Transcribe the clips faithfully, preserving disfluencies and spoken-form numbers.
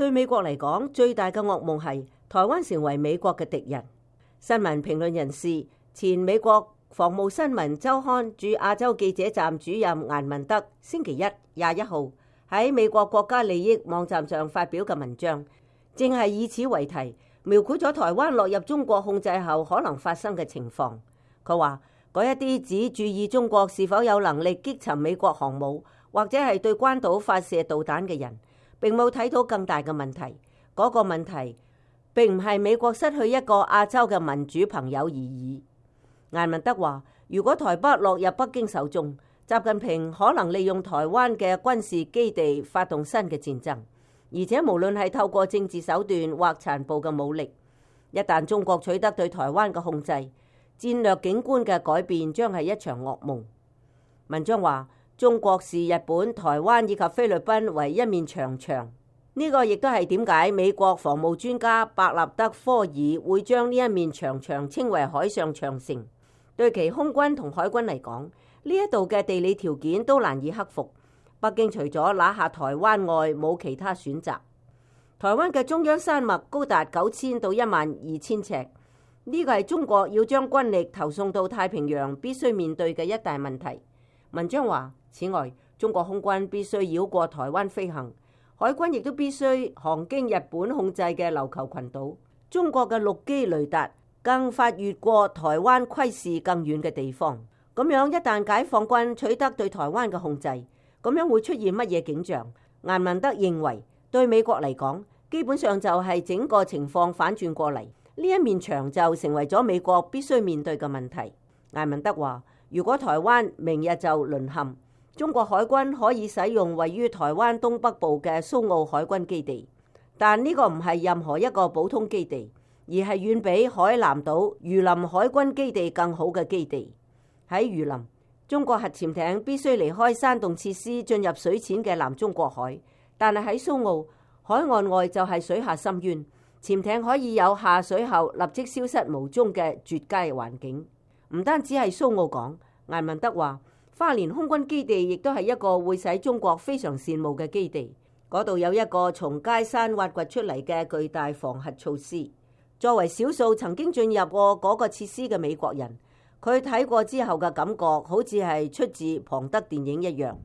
對美國嚟講，最大嘅噩夢係台灣成為美國嘅敵人。新聞評論人士、前美國防務新聞週刊駐亞洲記者站主任顏文德星期一廿一號喺美國國家利益網站上發表嘅文章，正係以此為題，描繪咗台灣落入中國控制後可能發生嘅情況。佢話嗰一啲只注意中國是否有能力擊沉美國航母，或者係對關島發射導彈嘅人，並冇睇到更大嘅問題。嗰個問題並唔係美國失去一個亞洲嘅民主朋友而已。顏文德話，如果台北落入北京手中，習近平可能利用台灣嘅軍事基地發動新嘅戰爭，而且無論係透過政治手段或殘暴嘅武力，一旦中國取得對台灣嘅控制，戰略景觀嘅改變將係一場噩夢。文章話，中國視日本、台灣以及菲律賓為一面長牆，呢個亦都係點解美國防務專家伯納德科爾會將呢一面長牆稱為海上長城。對其空軍同海軍嚟講，呢一度嘅地理條件都難以克服。北京除咗拿下台灣外，冇其他選擇。台灣嘅中央山脈高達九千到一萬二千尺，呢個係中國要將軍力投送到太平洋必須面對嘅一大問題。文章話，此外，中國空軍必須繞過台灣飛行，海軍亦都必須航經日本控制嘅琉球群島。中國嘅陸基雷達更發越過台灣窺視更遠嘅地方。咁樣一旦解放軍取得對台灣嘅控制，咁樣會出現乜嘢景象？顏文德認為，對美國嚟講，基本上就係整個情況反轉過嚟，呢一面牆就成為咗美國必須面對嘅問題。顏文德話，如果台灣明日就淪陷，中國海軍可以使用位於台灣東北部嘅蘇澳海軍基地，但呢個唔係任何一個普通基地，而係遠比海南島魚林海軍基地更好嘅基地。喺魚林，中國核潛艇必須離開山洞設施進入水淺嘅南中國海，但係喺蘇澳海岸外就係水下深淵，潛艇可以有下水後立即消失無蹤嘅絕佳環境。唔單止係蘇澳港，顏文德話，花蓮空軍基地亦都係一個會使中國非常羨慕嘅基地。嗰度有一個從街山挖掘出嚟嘅巨大防核措施。作為少數曾經進入過嗰個設施嘅美國人，佢睇過之後嘅感覺好似係出自龐德電影一樣。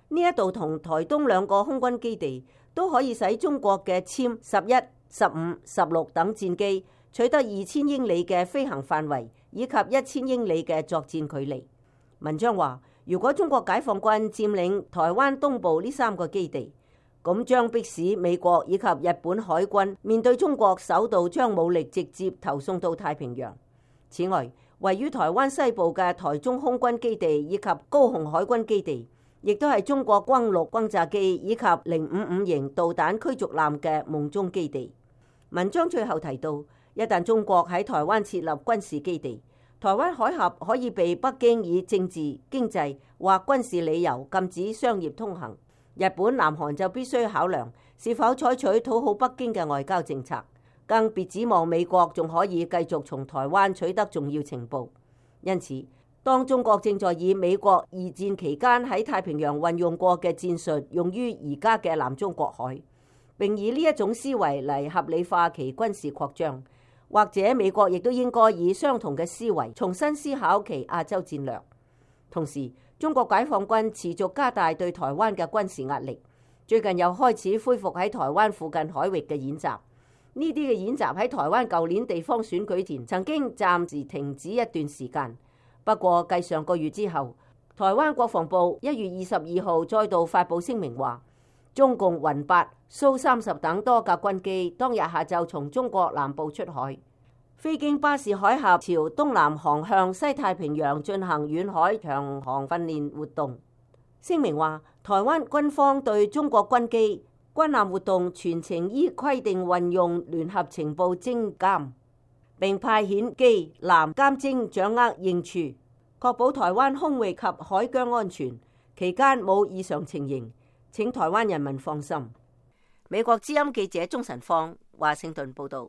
呢一度同台東兩個空軍基地都可以使中國嘅殲十一、十五、十六等戰機取得二千英里嘅飛行範圍以及一千英里嘅作戰距離。文章話，如果中國解放軍佔領台灣東部呢三個基地，咁將迫使美國以及日本海軍面對中國首度將武力直接投送到太平洋。此外，位於台灣西部嘅台中空軍基地以及高雄海軍基地，亦都係中國轟六轟炸機以及零五五型導彈驅逐艦嘅夢中基地。文章最後提到，一旦中國喺台灣設立軍事基地，台灣海峽可以被北京以政治、經濟或軍事理由禁止商業通行。日本、南韓就必須考量是否採取討好北京嘅外交政策。更別指望美國仲可以繼續從台灣取得重要情報。因此，當中國正在以美國二戰期間喺太平洋運用過嘅戰術用於而家嘅南中國海，並以呢一種思維嚟合理化其軍事擴張，或者美國亦都應該以相同嘅思維重新思考其亞洲戰略。同時，中國解放軍持續加大對台灣嘅軍事壓力，最近又開始恢復喺台灣附近海域嘅演習。呢啲嘅演習喺台灣舊年地方選舉前曾經暫時停止一段時間，不過繼上個月之後，台灣國防部一月二十二號再度發布聲明話，中共雲八、蘇三十等多架軍機當日下晝從中國南部出海，飛經巴士海峽朝東南航向西太平洋進行遠海長航訓練活動。聲明話，台灣軍方對中國軍機軍艦活動全程依規定運用聯合情報偵監，並派遣機艦監偵掌握應處，確保台灣空域及海疆安全，期間冇異常情形，請台灣人民放心。美國之音記者鍾晨芳華盛頓報道。